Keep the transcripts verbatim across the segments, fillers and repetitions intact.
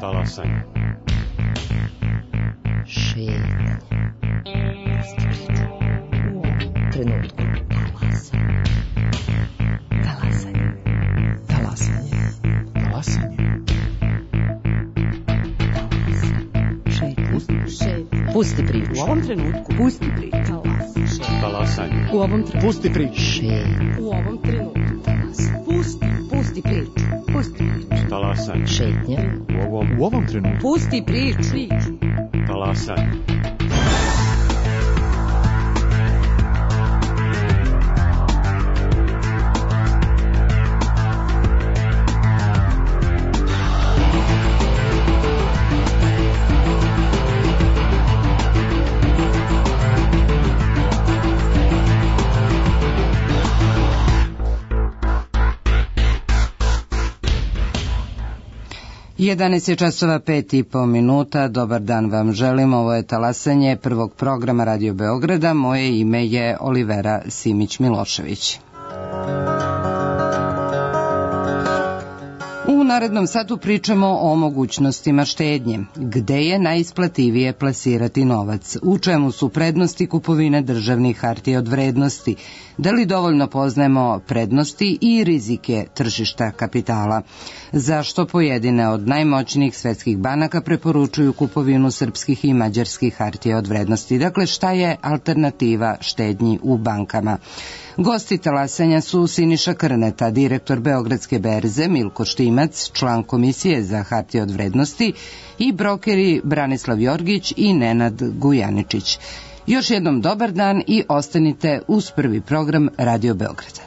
Talasanje. Šetnja. U ovom trenutku. Talasanje. Talasanje. Talasanje. Šetnja. Pusti priču. U ovom trenutku. Pusti priču. Talasanje. U ovom trenutku. Pusti priču. Šetnja. U ovom trenutku. Pusti, pusti priču. Pusti priču. Talasanje. Šetnja. U ovom, u ovom trenutku. Pusti priču. Talasanje. jedanaest je časova pet i po minuta. Dobar dan vam želim. Ovo je talasanje prvog programa Radio Beograda. Moje ime je Olivera Simić-Milošević. U narednom satu pričamo o mogućnostima štednje. Gde je najisplativije plasirati novac? U čemu su prednosti kupovine državnih hartija od vrednosti? Da li dovoljno poznajemo prednosti i rizike tržišta kapitala? Zašto pojedine od najmoćnijih svetskih banaka preporučuju kupovinu srpskih i mađarskih hartija od vrednosti? Dakle, šta je alternativa štednji u bankama? Gosti talasanja su Siniša Krneta, direktor Beogradske berze, Milko Štimac, član Komisije za hartije od vrednosti i brokeri Branislav Jorgić i Nenad Gujaničić. Još jednom dobar dan i ostanite uz prvi program Radio Beograda.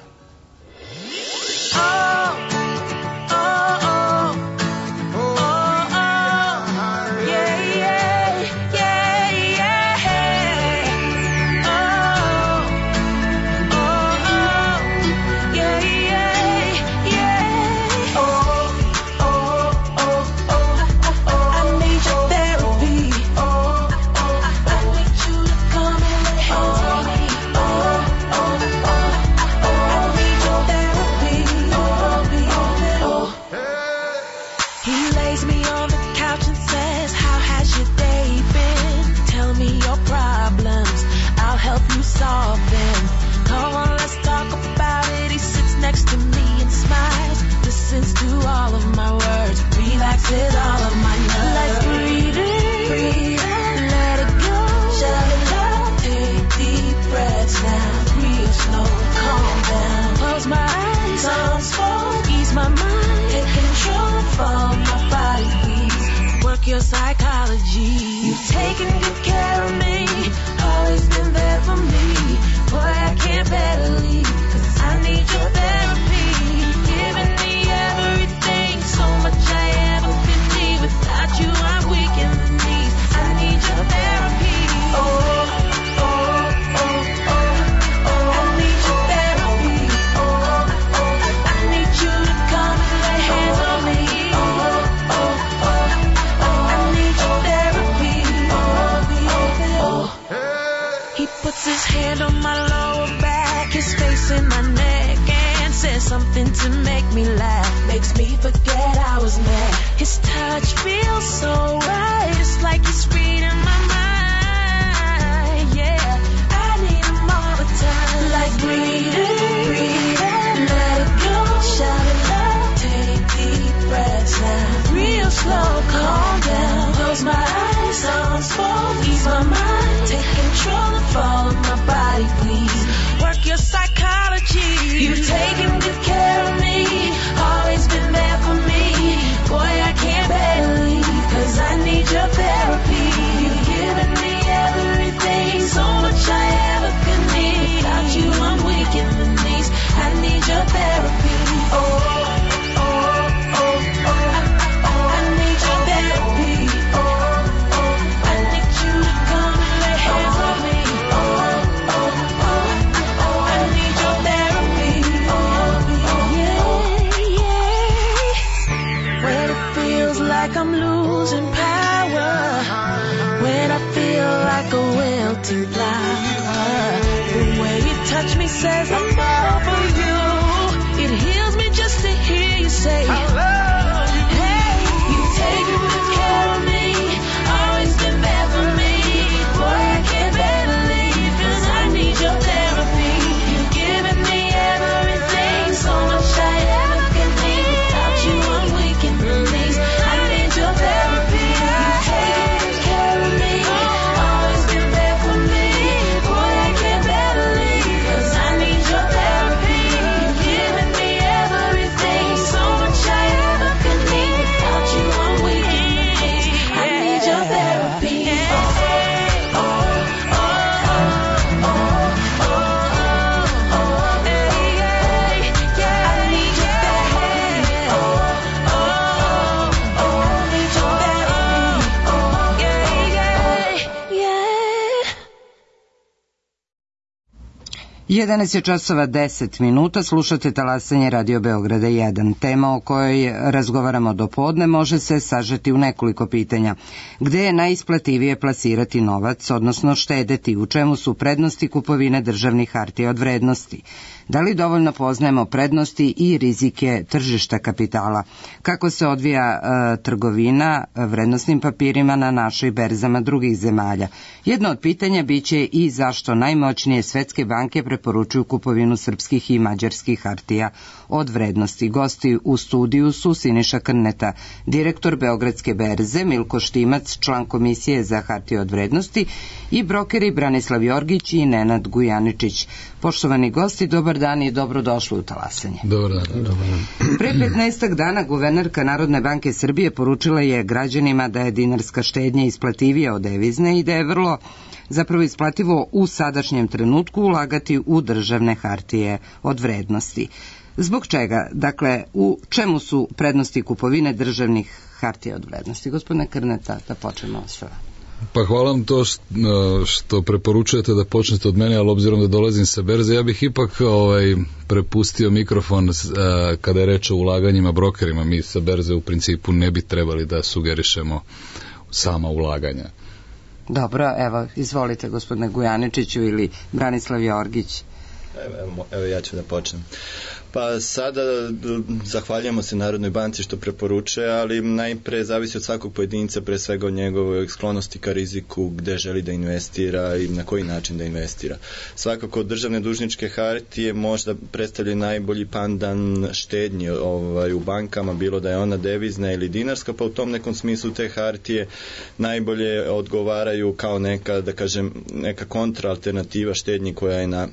Your psychology, you've taken good care of me, always been there for me. Boy, I can't bear to leave, 'cause I need your therapy. Giving me everything, so much I ever could need. Without you, I'm weak in the knees. I need your therapy. Oh, oh, oh, oh, oh. I need your therapy. Oh, oh, I need you to come and lay hands on me. Oh, oh, oh. He puts his hand on my lower back, his face in my neck, and says something to make me laugh. Makes me forget I was mad. His touch feels so right, it's like he's reading my mind. Yeah, I need him all the time. Like breathe in, breathe in, let it go. Shout it loud, take deep breaths now. Real slow, calm down. Close my eyes, sounds full, ease my mind. Take control and follow my body, please. Work your psychology. You've taken good care of me, always been there for me. Boy, I can't bear to leave, 'cause I need your therapy. You've given jedanaest je časova deset minuta, slušate talasanje Radio Beograda jedan. Tema o kojoj razgovaramo do podne može se sažeti u nekoliko pitanja. Gde je najisplativije plasirati novac, odnosno štedeti, u čemu su prednosti kupovine državnih hartija od vrednosti? Da li dovoljno poznajemo prednosti i rizike tržišta kapitala? Kako se odvija e, trgovina vrednosnim papirima na našoj berzama drugih zemalja? Jedno od pitanja biće i zašto najmoćnije svetske banke preporučuju kupovinu srpskih i mađarskih hartija od vrednosti. Gosti u studiju su Siniša Krneta, direktor Beogradske berze, Milko Štimac, član Komisije za hartije od vrednosti i brokeri Branislav Jorgić i Nenad Gujaničić. Poštovani gosti, dobar dan i dobrodošli u talasanje. Dobar dan. Dobar dan. Pre petnaestak dana guvernerka Narodne banke Srbije poručila je građanima da je dinarska štednja isplativija od devizne i da je vrlo zapravo isplativo u sadašnjem trenutku ulagati u državne hartije od vrednosti. Zbog čega? Dakle, u čemu su prednosti kupovine državnih hartija od vrednosti? Gospodine Krneta, da počnemo s vama. Pa hvala vam to što preporučujete da počnete od mene, ali obzirom da dolazim sa berze, ja bih ipak ovaj, prepustio mikrofon kada je reč o ulaganjima brokerima. Mi sa berze u principu ne bi trebali da sugerišemo sama ulaganja. Dobro, evo, izvolite gospodine Gujaničiću ili Branislav Jorgić. Evo, evo ja ću da počnem. Pa sada zahvaljujemo se Narodnoj banci što preporučuje, ali najpre zavisi od svakog pojedinca, pre svega od njegove sklonosti ka riziku, gde želi da investira i na koji način da investira. Svakako državne dužničke hartije možda predstavljaju najbolji pandan štednje ovaj, u bankama, bilo da je ona devizna ili dinarska, pa u tom nekom smislu te hartije najbolje odgovaraju kao neka, da kažem, neka kontraalternativa štednji koja je na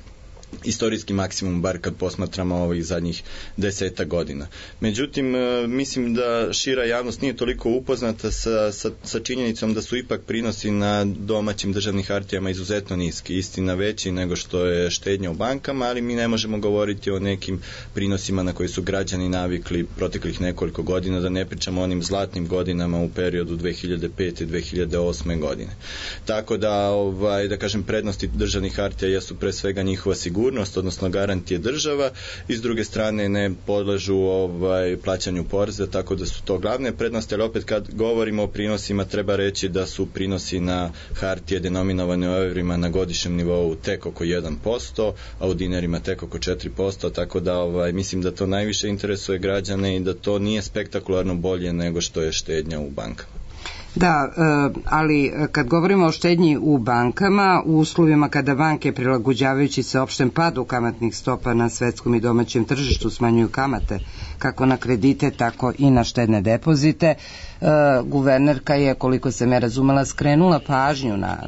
istorijski maksimum, bar kad posmatramo ovih zadnjih deseta godina. Međutim, mislim da šira javnost nije toliko upoznata sa, sa, sa činjenicom da su ipak prinosi na domaćim državnim hartijama izuzetno niski, istina veći nego što je štednja u bankama, ali mi ne možemo govoriti o nekim prinosima na koji su građani navikli proteklih nekoliko godina, da ne pričamo o onim zlatnim godinama u periodu dve hiljade pete do dve hiljade osme godine. Tako da, ovaj, da kažem, prednosti državnih hartija jesu pre svega njihova sigurnost, odnosno garantije država, i s druge strane ne podležu ovaj, plaćanju poreza, tako da su to glavne prednosti, ali opet kad govorimo o prinosima treba reći da su prinosi na hartije denominovane u evrima na godišnjem nivou tek oko jedan posto, a u dinarima tek oko četiri posto, tako da ovaj, mislim da to najviše interesuje građane i da to nije spektakularno bolje nego što je štednja u bankama. Da, ali kad govorimo o štednji u bankama, u uslovima kada banke prilagođavajući se opštem padu kamatnih stopa na svetskom i domaćem tržištu smanjuju kamate kako na kredite, tako i na štedne depozite, guvernerka je, koliko sam ja razumela, skrenula pažnju na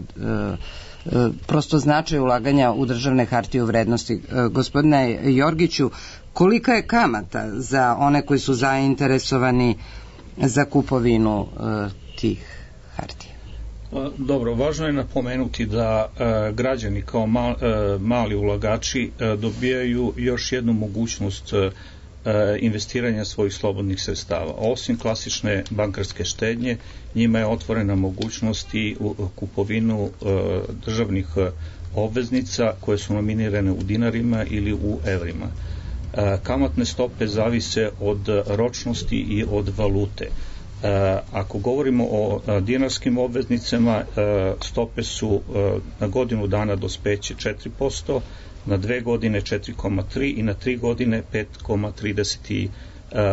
prosto značaj ulaganja u državne hartije u vrednosti. Gospodine Jorgiću, kolika je kamata za one koji su zainteresovani za kupovinu tih hartija? Dobro, važno je napomenuti da e, građani kao mal, e, mali ulagači e, dobijaju još jednu mogućnost e, investiranja svojih slobodnih sredstava. Osim klasične bankarske štednje, njima je otvorena mogućnost i u kupovinu e, državnih obveznica koje su nominirane u dinarima ili u evrima. E, kamatne stope zavise od ročnosti i od valute. Uh, ako govorimo o uh, dinarskim obveznicama, uh, stope su uh, na godinu dana dospeće četiri posto, na dve godine četiri zarez tri i na tri godine pet zarez trideset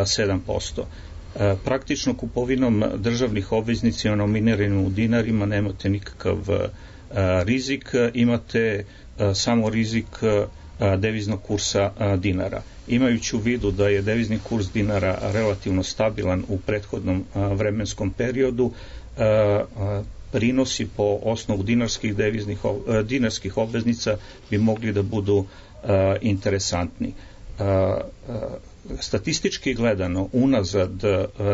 sedam posto. Uh, praktično kupovinom državnih obveznica nominiranih u dinarima nemate nikakav uh, rizik, imate uh, samo rizik uh, deviznog kursa dinara. Imajući u vidu da je devizni kurs dinara relativno stabilan u prethodnom vremenskom periodu, prinosi po osnovu dinarskih deviznih dinarskih obveznica bi mogli da budu interesantni. Statistički gledano, unazad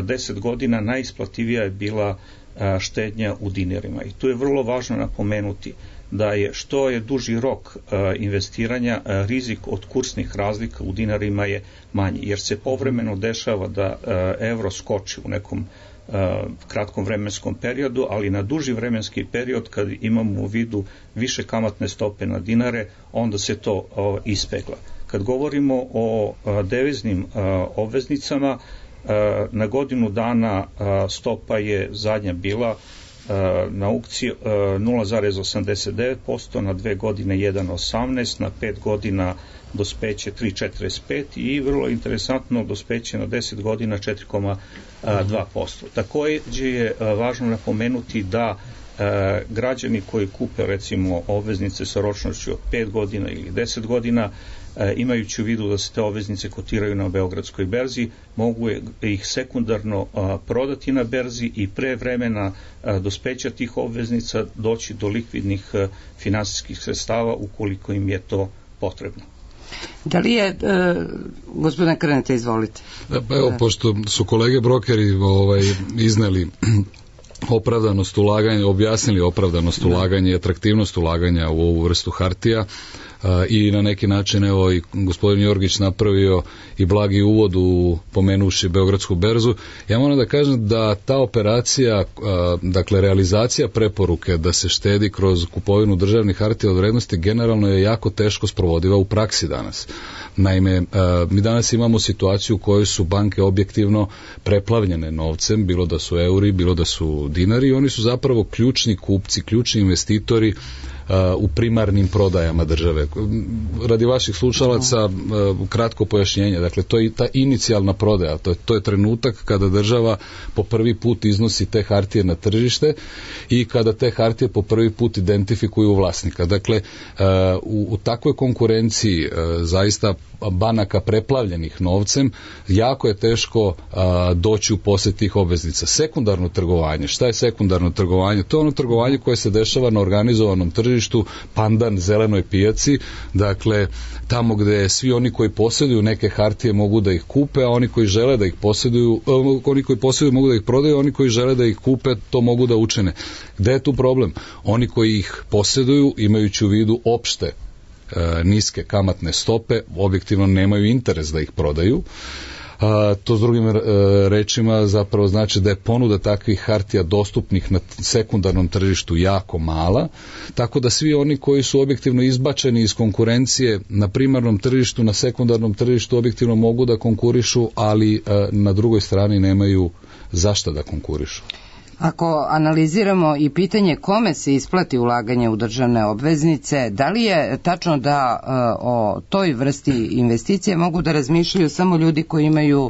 deset godina najisplativija je bila štednja u dinarima i tu je vrlo važno napomenuti da je što je duži rok uh, investiranja, uh, rizik od kursnih razlika u dinarima je manji, jer se povremeno dešava da uh, evro skoči u nekom kratkom vremenskom periodu, ali na duži vremenski period kad imamo u vidu više kamatne stope na dinare, onda se to ispegla. Kad govorimo o deviznim obveznicama, na godinu dana stopa je zadnja bila na aukciji nula zarez osamdeset devet posto, na dve godine jedan zarez osamnaest, na pet godina dospeće tri zarez četrdeset pet i vrlo interesantno dospeće na deset godina četiri zarez dva posto. Takođe je važno napomenuti da e, građani koji kupe recimo obveznice sa ročnošću od pet godina ili deset godina, e, imajući u vidu da se te obveznice kotiraju na Beogradskoj berzi, mogu ih sekundarno a, prodati na berzi i pre vremena a, dospeća tih obveznica doći do likvidnih a, finansijskih sredstava ukoliko im je to potrebno. Da li je, e, gospodine Krnete, izvolite. Da, pa evo, pošto su kolege brokeri ovaj, izneli opravdanost ulaganja, objasnili opravdanost ulaganja i atraktivnost ulaganja u ovu vrstu hartija, a, i na neki način evo i gospodin Jorgić napravio i blagi uvod u pomenuši Beogradsku berzu. Ja moram da kažem da ta operacija, a, dakle realizacija preporuke da se štedi kroz kupovinu državnih hartija od vrednosti generalno je jako teško sprovodiva u praksi danas. Naime, a, mi danas imamo situaciju u kojoj su banke objektivno preplavljene novcem, bilo da su euri, bilo da su dinari, i oni su zapravo ključni kupci, ključni investitori u primarnim prodajama države. Radi vaših slušalaca kratko pojašnjenje, dakle to je ta inicijalna prodaja, to je, to je trenutak kada država po prvi put iznosi te hartije na tržište i kada te hartije po prvi put identifikuju vlasnika. Dakle, u, u takvoj konkurenciji zaista banaka preplavljenih novcem, jako je teško a, doći u posjed tih obveznica. Sekundarno trgovanje, šta je sekundarno trgovanje? To je ono trgovanje koje se dešava na organizovanom tržištu, pandan zelenoj pijaci, dakle tamo gde svi oni koji posjeduju neke hartije mogu da ih kupe, a oni koji žele da ih posjeduju, oni koji posjeduju mogu da ih prodaju, oni koji žele da ih kupe to mogu da učine. Gde je tu problem? Oni koji ih posjeduju, imajući u vidu opšte niske kamatne stope, objektivno nemaju interes da ih prodaju. A, to s drugim rečima zapravo znači da je ponuda takvih hartija dostupnih na sekundarnom tržištu jako mala, tako da svi oni koji su objektivno izbačeni iz konkurencije na primarnom tržištu, na sekundarnom tržištu objektivno mogu da konkurišu, ali a, na drugoj strani nemaju zašta da konkurišu. Ako analiziramo i pitanje kome se isplati ulaganje u državne obveznice, da li je tačno da o toj vrsti investicije mogu da razmišljaju samo ljudi koji imaju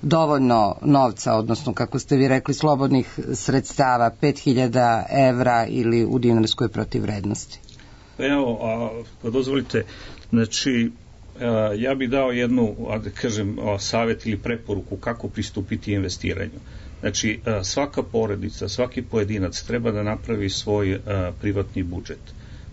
dovoljno novca, odnosno kako ste vi rekli slobodnih sredstava, pet hiljada evra ili u dinarskoj protivvrednosti? Evo, a, dozvolite, znači ja bih dao jednu, da kažem, savjet ili preporuku kako pristupiti investiranju. Znači, svaka porodica, svaki pojedinac treba da napravi svoj a, privatni budžet.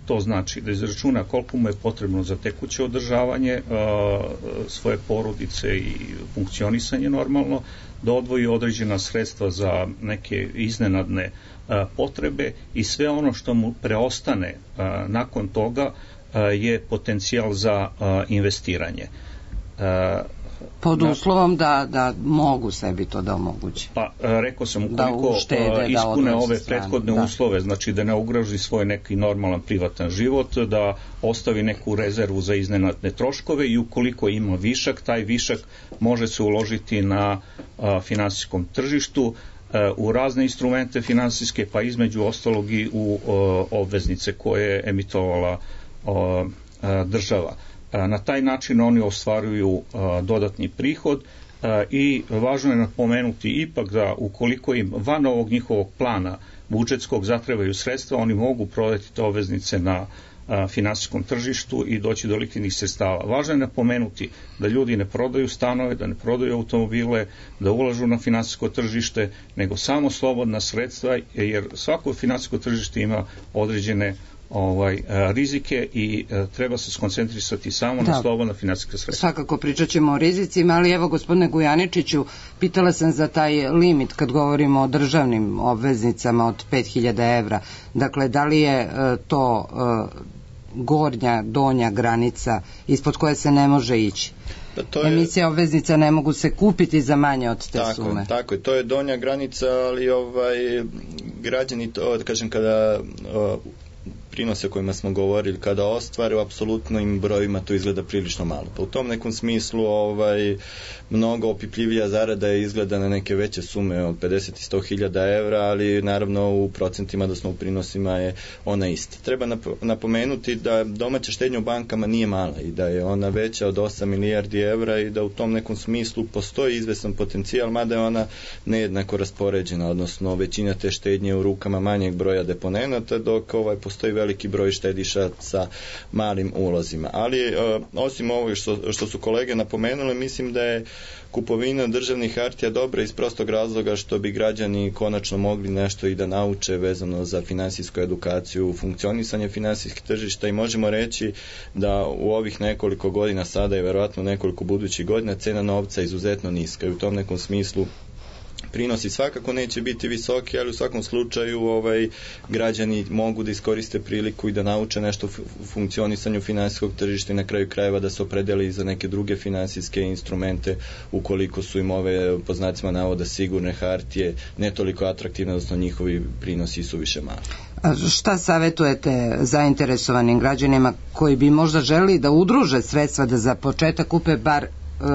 To znači da izračuna koliko mu je potrebno za tekuće održavanje a, svoje porodice i funkcionisanje normalno, da odvoji određena sredstva za neke iznenadne a, potrebe i sve ono što mu preostane a, nakon toga a, je potencijal za a, investiranje. A, Pod uslovom da, da mogu sebi to da omoguće. Pa, rekao sam, ukoliko uštede, ispune ove prethodne da. uslove, znači da ne ugroži svoj neki normalan privatan život, da ostavi neku rezervu za iznenadne troškove i ukoliko ima višak, taj višak može se uložiti na a, finansijskom tržištu, a, u razne instrumente finansijske, pa između ostalog i u a, obveznice koje je emitovala a, a, država. Na taj način oni ostvaruju a, dodatni prihod a, i važno je napomenuti ipak da ukoliko im van ovog njihovog plana budžetskog zatrebaju sredstva, oni mogu prodati te obveznice na a, finansijskom tržištu i doći do likvidnih sredstava. Važno je napomenuti da ljudi ne prodaju stanove, da ne prodaju automobile, da ulažu na finansijsko tržište, nego samo slobodna sredstva, jer svako finansijsko tržište ima određene ovaj rizike i e, treba se skoncentrisati samo da. na slobodna finansijska sredstva. Svakako pričat ćemo o rizicima, ali evo gospodine Gujaničiću, pitala sam za taj limit kad govorimo o državnim obveznicama od pet hiljada evra. Dakle, da li je e, to e, gornja, donja granica ispod koje se ne može ići? To je, emisije obveznica ne mogu se kupiti za manje od te tako, sume. Tako je, to je donja granica, ali ovaj, građani to, kažem, kada o, prinose o kojima smo govorili, kada ostvare u apsolutnim brojima, to izgleda prilično malo. Pa u tom nekom smislu ovaj, mnogo opipljivija zarada je izgleda na neke veće sume od pedeset i sto hiljada evra, ali naravno u procentima, odnosno u prinosima je ona ista. Treba napomenuti da domaća štednja u bankama nije mala i da je ona veća od osam milijardi evra i da u tom nekom smislu postoji izvesan potencijal, mada je ona nejednako raspoređena, odnosno većina te štednje u rukama manjeg broja deponenata, dok ovaj, postoji veliki broj štediša sa malim ulozima. Ali uh, osim ovog što, što su kolege napomenule, mislim da je kupovina državnih hartija dobra iz prostog razloga što bi građani konačno mogli nešto i da nauče vezano za finansijsku edukaciju, funkcionisanje finansijskih tržišta i možemo reći da u ovih nekoliko godina sada i verovatno nekoliko budućih godina cena novca izuzetno niska i u tom nekom smislu prinosi svakako neće biti visoki, ali u svakom slučaju ovaj, građani mogu da iskoriste priliku i da nauče nešto u funkcionisanju finansijskog tržišta i na kraju krajeva da se opredeli za neke druge finansijske instrumente ukoliko su im ove, po znacima navoda, sigurne hartije ne toliko atraktivne, odnosno njihovi prinosi su više mali. A šta savjetujete zainteresovanim građanima koji bi možda želi da udruže sredstva da za početak kupe bar uh,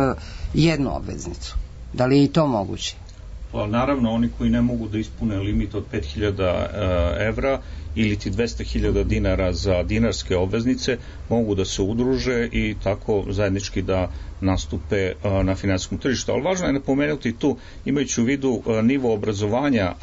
jednu obveznicu? Da li je i to moguće? Pa naravno, oni koji ne mogu da ispune limit od pet hiljada evra ili ti dvesta hiljada dinara za dinarske obveznice mogu da se udruže i tako zajednički da nastupe na finansijskom tržištu. Ali važno je napomenuti tu, imajući u vidu nivo obrazovanja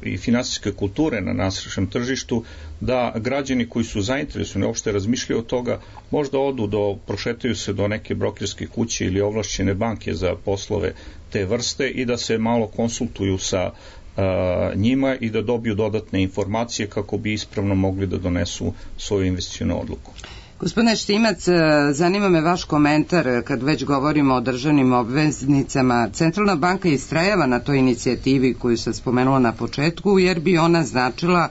i finansijske kulture na našem tržištu, da građani koji su zainteresovani uopšte razmišljaju od toga, možda odu do, prošetaju se do neke brokerske kuće ili ovlašćene banke za poslove te vrste i da se malo konsultuju sa a, njima i da dobiju dodatne informacije kako bi ispravno mogli da donesu svoju investicionu odluku. Gospodine Štimac, zanima me vaš komentar kad već govorimo o državnim obveznicama. Centralna banka istrajava na toj inicijativi koju sam spomenula na početku, jer bi ona značila,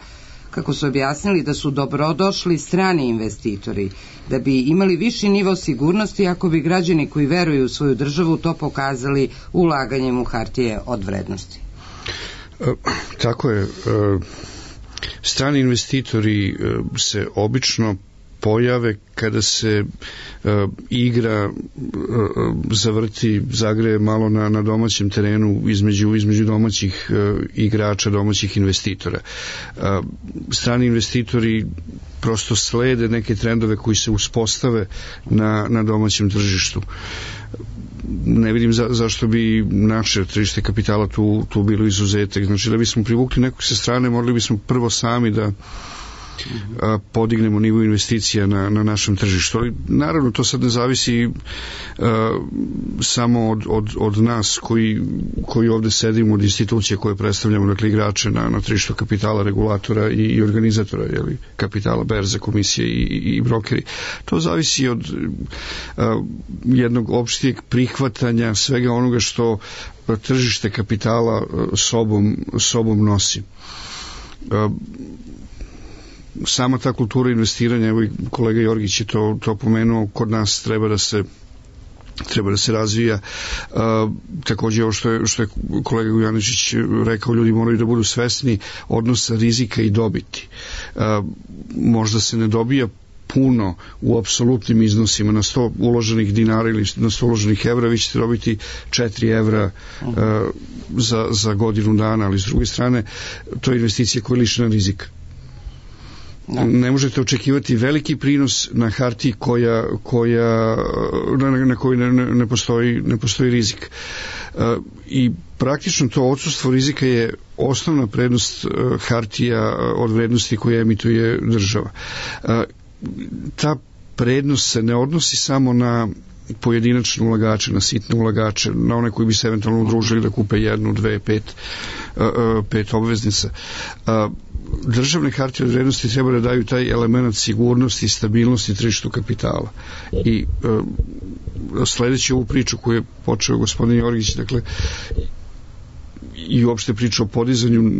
kako su objasnili, da su dobrodošli strani investitori, da bi imali viši nivo sigurnosti ako bi građani koji veruju u svoju državu to pokazali ulaganjem u hartije od vrednosti. Tako je. Strani investitori se obično pojave kada se uh, igra uh, zavrti, zagreje malo na, na domaćem terenu između, između domaćih uh, igrača, domaćih investitora. Uh, strani investitori prosto slede neke trendove koji se uspostave na, na domaćem tržištu. Ne vidim za, zašto bi naše tržište kapitala tu, tu bilo izuzetak. Znači da bismo privukli nekog sa strane, morali bismo prvo sami da a, podignemo nivo investicija na, na našem tržištu. Ali naravno to sad ne zavisi a, samo od, od, od nas koji, koji ovde sedimo, od institucije koje predstavljamo, dakle igrače na, na tržištu kapitala, regulatora i, i organizatora, jeli, kapitala, berze, komisije i, i, i brokeri. To zavisi od a, jednog opštijeg prihvatanja svega onoga što tržište kapitala sobom, sobom nosi. A, sama ta kultura investiranja, evo i kolega Jorgić je to, to pomenuo, kod nas treba da se treba da se razvija. A, također ovo što je, što je kolega Gujaničić rekao, ljudi moraju da budu svesni odnosa rizika i dobiti. A, možda se ne dobija puno u apsolutnim iznosima na sto uloženih dinara ili na sto uloženih evra, vi ćete dobiti četiri evra uh, za, za godinu dana, ali s druge strane to je investicija koja je lišena rizika. Da. Ne možete očekivati veliki prinos na hartiji koja, koja, na, na kojoj ne, ne, postoji, ne postoji rizik. Uh, I praktično to odsustvo rizika je osnovna prednost uh, hartija od vrednosti koje emituje država. Uh, ta prednost se ne odnosi samo na pojedinačne ulagače, na sitne ulagače, na one koji bi se eventualno udružili da kupe jednu, dve, pet, uh, pet obveznica. Uh, državne hartije od vrednosti treba da daju taj element sigurnosti i stabilnosti tržištu kapitala. I uh, sledeći ovu priču koju je počeo gospodin Jorgić, dakle, i uopšte priča o podizanju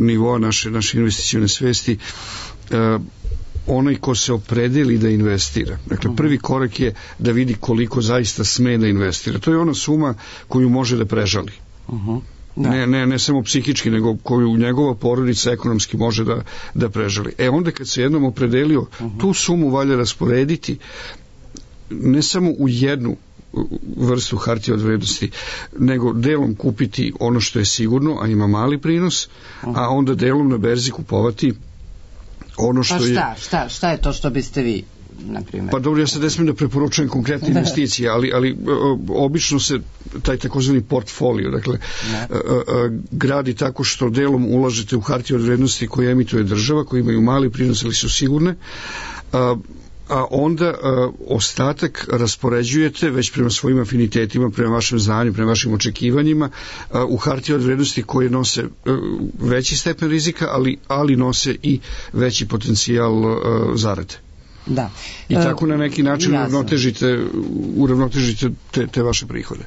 nivoa naše, naše investicione svesti, uh, onaj ko se opredeli da investira. Dakle, prvi korak je da vidi koliko zaista sme da investira. To je ona suma koju može da prežali. Uh-huh. Da. Ne, ne, ne samo psihički, nego koju njegova porodica ekonomski može da, da prežali. E onda kad se jednom opredelio, uh-huh. tu sumu valja rasporediti ne samo u jednu vrstu hartije od vrednosti, nego delom kupiti ono što je sigurno, a ima mali prinos, uh-huh. a onda delom na berzi kupovati ono što pa šta, je... šta, šta je to što biste vi, na primjer? Pa dobro, ja sad ne smijem da preporučujem konkretne investicije, ali, ali obično se taj takozvani portfolio, dakle, a, a, gradi tako što delom ulažete u hartije od vrednosti koje emituje država, koje imaju mali prinos, ali su sigurne, a, a onda a, ostatak raspoređujete već prema svojim afinitetima, prema vašem znanju, prema vašim očekivanjima a, u hartije od vrednosti koje nose a, veći stepen rizika, ali, ali nose i veći potencijal a, zarade. Da. I tako na neki način Jasno. uravnotežite, uravnotežite te, te vaše prihode.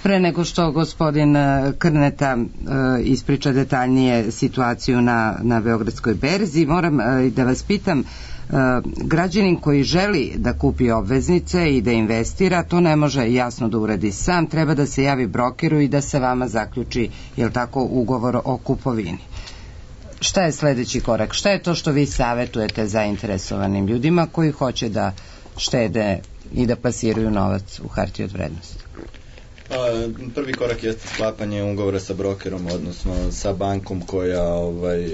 Pre nego što gospodin Krneta ispriča detaljnije situaciju na, na Beogradskoj berzi, moram da vas pitam, građanin koji želi da kupi obveznice i da investira, to ne može jasno da uradi sam, treba da se javi brokeru i da se vama zaključi, jel tako, ugovor o kupovini. Šta je sledeći korak? Šta je to što vi savetujete zainteresovanim ljudima koji hoće da štede i da plasiraju novac u hartije od vrednosti? A, prvi korak jeste sklapanje ugovora sa brokerom, odnosno sa bankom koja ovaj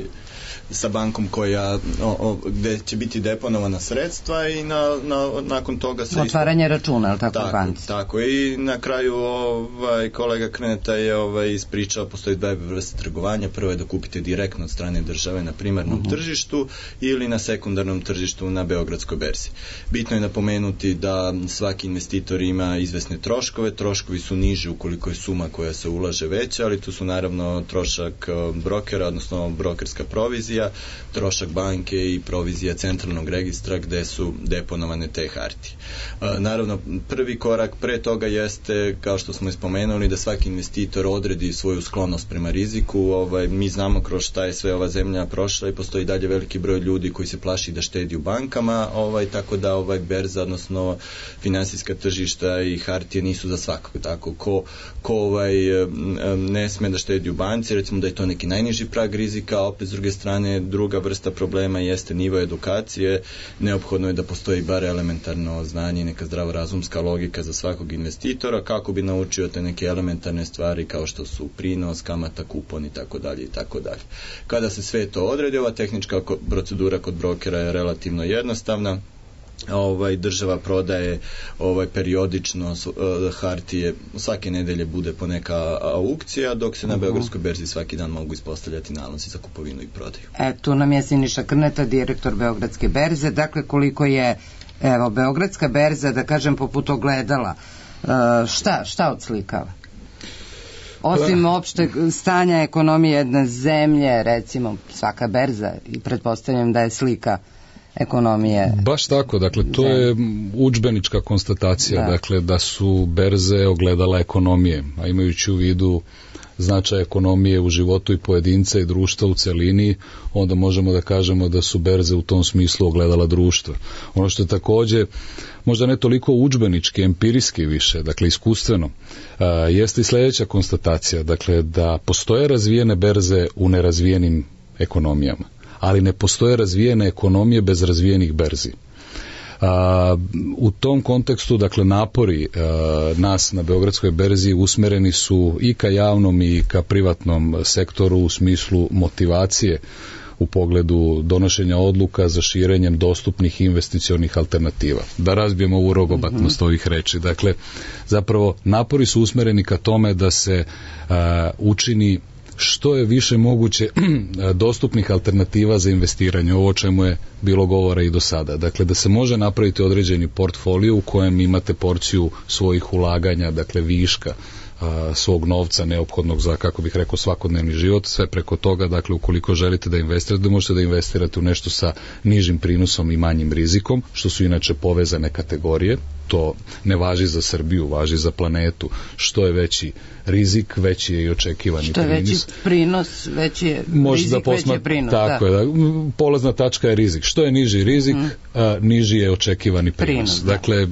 sa bankom koja o, o, gde će biti deponovana sredstva i na, na, nakon toga se otvaranje isto... računa, ali tako, tako banci. Tako, i na kraju ovaj, kolega Krneta je ovaj, ispričao, postoji dve vrste trgovanja. Prvo je da kupite direktno od strane države na primarnom uh-huh. tržištu ili na sekundarnom tržištu na Beogradskoj berzi. Bitno je napomenuti da svaki investitor ima izvesne troškove, troškovi su niži ukoliko je suma koja se ulaže veća, ali tu su naravno trošak brokera, odnosno brokerska provizija, trošak banke i provizija centralnog registra gde su deponovane te hartije. E, naravno, prvi korak pre toga jeste, kao što smo ispomenuli, da svaki investitor odredi svoju sklonost prema riziku. Ovaj, mi znamo kroz šta je sve ova zemlja prošla i postoji dalje veliki broj ljudi koji se plaši da štedi u bankama, ovaj, tako da ovaj berza, odnosno finansijska tržišta i hartije nisu za svakog. Tako, ko, ko ovaj, ne sme da štedi u banci, recimo da je to neki najniži prag rizika, a opet s druge strane druga vrsta problema jeste nivo edukacije. Neophodno je da postoji bar elementarno znanje i neka zdravorazumska logika za svakog investitora kako bi naučio te neke elementarne stvari kao što su prinos, kamata, kupon i tako dalje i tako dalje. Kada se sve to odredi, ova tehnička procedura kod brokera je relativno jednostavna. Ovaj, država prodaje ovaj, periodično uh, hartije, svake nedelje bude po neka aukcija, dok se na Beogradskoj berzi svaki dan mogu ispostavljati nalozi za kupovinu i prodaju. E, tu nam je Siniša Krneta, direktor Beogradske berze. Dakle, koliko je, evo, Beogradska berza, da kažem, poput ogledala, uh, šta, šta odslikava? Osim opšteg stanja ekonomije jedne zemlje, recimo, svaka berza, i pretpostavljam da je slika ekonomije. Baš tako, dakle to je udžbenička konstatacija, da. Dakle da su berze ogledala ekonomije, a imajući u vidu značaj ekonomije u životu i pojedinca i društva u celini, onda možemo da kažemo da su berze u tom smislu ogledala društva. Ono što je takođe možda ne toliko udžbenički, empirijski više, dakle iskustveno, a, jeste i sledeća konstatacija, dakle da postoje razvijene berze u nerazvijenim ekonomijama, ali ne postoje razvijene ekonomije bez razvijenih berzi. A, u tom kontekstu, dakle, napori a, nas na Beogradskoj berzi usmereni su i ka javnom i ka privatnom sektoru u smislu motivacije u pogledu donošenja odluka za širenjem dostupnih investicionih alternativa. Da razbijemo ovu rogobatnost mm-hmm. ovih reči. Dakle, zapravo napori su usmereni ka tome da se a, učini što je više moguće dostupnih alternativa za investiranje, ovo o čemu je bilo govora i do sada. Dakle, da se može napraviti određeni portfolio u kojem imate porciju svojih ulaganja, dakle viška a, svog novca neophodnog za, kako bih rekao, svakodnevni život, sve preko toga, dakle, ukoliko želite da investirate, da možete da investirate u nešto sa nižim prinosom i manjim rizikom, što su inače povezane kategorije. to ne važi za Srbiju, važi za planetu. Što je veći rizik, veći je i očekivani što je prinos. Veći prinos, veći je Može rizik, da posma... veći je prinos. Tako da. je, da. Polazna tačka je rizik. Što je niži rizik, mm. a, niži je očekivani prinos. prinos da. Dakle,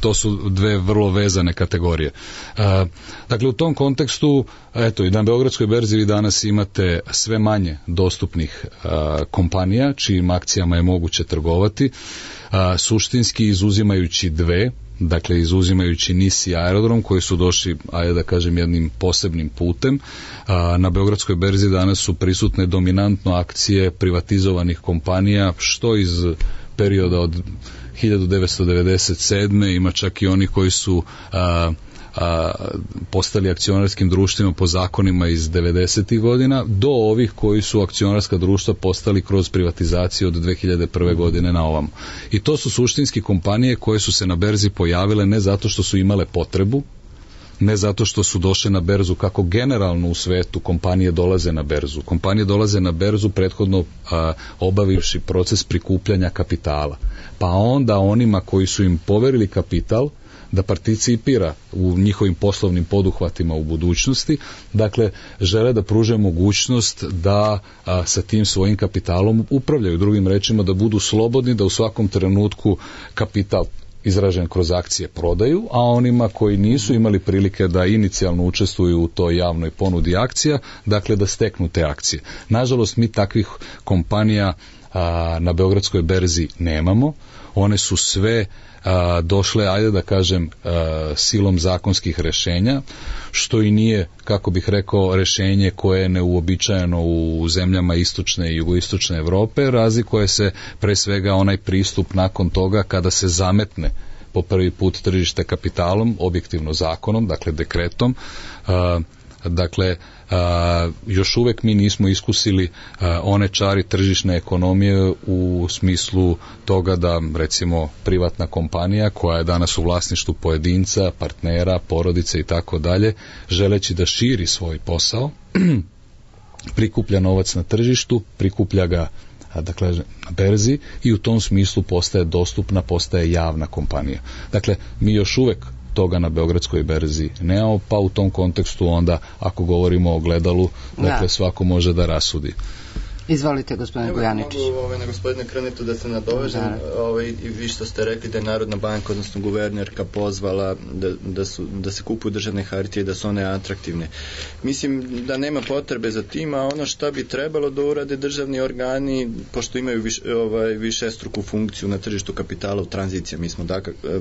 to su dve vrlo vezane kategorije. A, dakle, u tom kontekstu, eto, i na Beogradskoj berzi vi danas imate sve manje dostupnih a, kompanija, čijim akcijama je moguće trgovati, a, suštinski izuzimajući dve, dakle izuzimajući N I S i Aerodrom koji su došli, ajde da kažem, jednim posebnim putem. A, na Beogradskoj berzi danas su prisutne dominantno akcije privatizovanih kompanija, što iz perioda od hiljadu devetsto devedeset sedme ima čak i oni koji su a, a, postali akcionarskim društvima po zakonima iz devedesetih godina, do ovih koji su akcionarska društva postali kroz privatizaciju od dve hiljade prve godine na ovam. I to su suštinski kompanije koje su se na berzi pojavile ne zato što su imale potrebu, ne zato što su došle na berzu kako generalno u svetu kompanije dolaze na berzu. Kompanije dolaze na berzu prethodno a, obavivši proces prikupljanja kapitala. Pa onda onima koji su im poverili kapital da participira u njihovim poslovnim poduhvatima u budućnosti, dakle, žele da pruže mogućnost da a, sa tim svojim kapitalom upravljaju, drugim rečima da budu slobodni, da u svakom trenutku kapital izražen kroz akcije prodaju, a onima koji nisu imali prilike da inicijalno učestvuju u toj javnoj ponudi akcija, dakle da steknu te akcije. Nažalost, mi takvih kompanija a, na Beogradskoj berzi nemamo, one su sve a, došle, ajde da kažem, a, silom zakonskih rešenja, što i nije, kako bih rekao, rešenje koje je neuobičajeno u zemljama istočne i jugoistočne Evrope, razlikuje se pre svega onaj pristup nakon toga kada se zametne po prvi put tržište kapitalom, objektivno zakonom, dakle dekretom, a, dakle, a, još uvek mi nismo iskusili a, one čari tržišne ekonomije u smislu toga da, recimo, privatna kompanija koja je danas u vlasništvu pojedinca, partnera, porodice i tako dalje, želeći da širi svoj posao, prikuplja novac na tržištu, prikuplja ga dakle, na berzi i u tom smislu postaje dostupna, postaje javna kompanija. Dakle, mi još uvek toga na Beogradskoj berzi nemamo, pa u tom kontekstu onda, ako govorimo o gledalu, dakle, da. Svako može da rasudi. Izvolite, gospodine Gojaničić. Mogu ovaj, na gospodine Krnetu da se nadovežem, ovaj, i vi što ste rekli da je Narodna banka, odnosno guvernerka pozvala da, da, su, da se kupuju državne hartije, da su one atraktivne. Mislim da nema potrebe za tim, a ono šta bi trebalo da urade državni organi, pošto imaju viš, ovaj, višestruku funkciju na tržištu kapitala u tranziciji, mi smo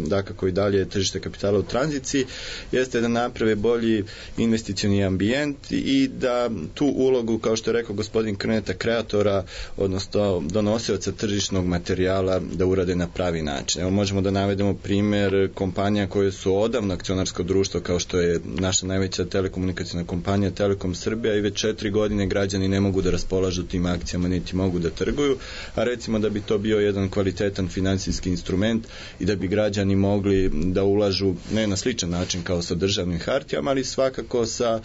dakako i dalje tržište kapitala u tranziciji, jeste da naprave bolji investicioni ambijent i da tu ulogu, kao što je rekao gospodin Krneta, kreatora, odnosno donosioca tržišnog materijala da urade na pravi način. Evo možemo da navedemo primer kompanija koje su odavno akcionarsko društvo, kao što je naša najveća telekomunikacijna kompanija Telekom Srbija, i već četiri godine građani ne mogu da raspolažu tim akcijama, niti mogu da trguju, a recimo da bi to bio jedan kvalitetan finansijski instrument i da bi građani mogli da ulažu ne na sličan način kao sa državnim hartijama, ali svakako sa,